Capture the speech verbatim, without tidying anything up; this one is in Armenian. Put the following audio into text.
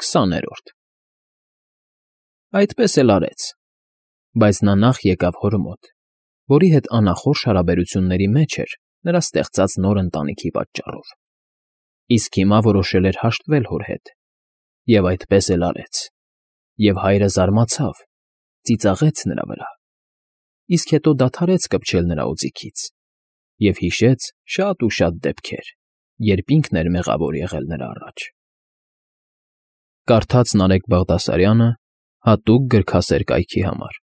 Քսաներորդ Այդպես էլ արեց, բայց նա նախ եկավ հոր մոտ, որի հետ անախորժ հարաբերությունների մեջ էր նրա ստեղծած նոր ընտանիքի պատճառով, իսկ հիմա որոշել էր հաշտվել հոր հետ, և այդպես էլ արեց, և հայրը զարմացավ, ծիծաղեց նրա վրա, իսկ հետո դադարեց կպչել նրա օձիքից և հիշեց շատ ու շատ դեպքեր, երբ ինքն էր մեղավոր եղել նրա առաջ. Կարդաց Նարեկ Բաղդասարյանը հատուկ գրքասեր կայքի համար։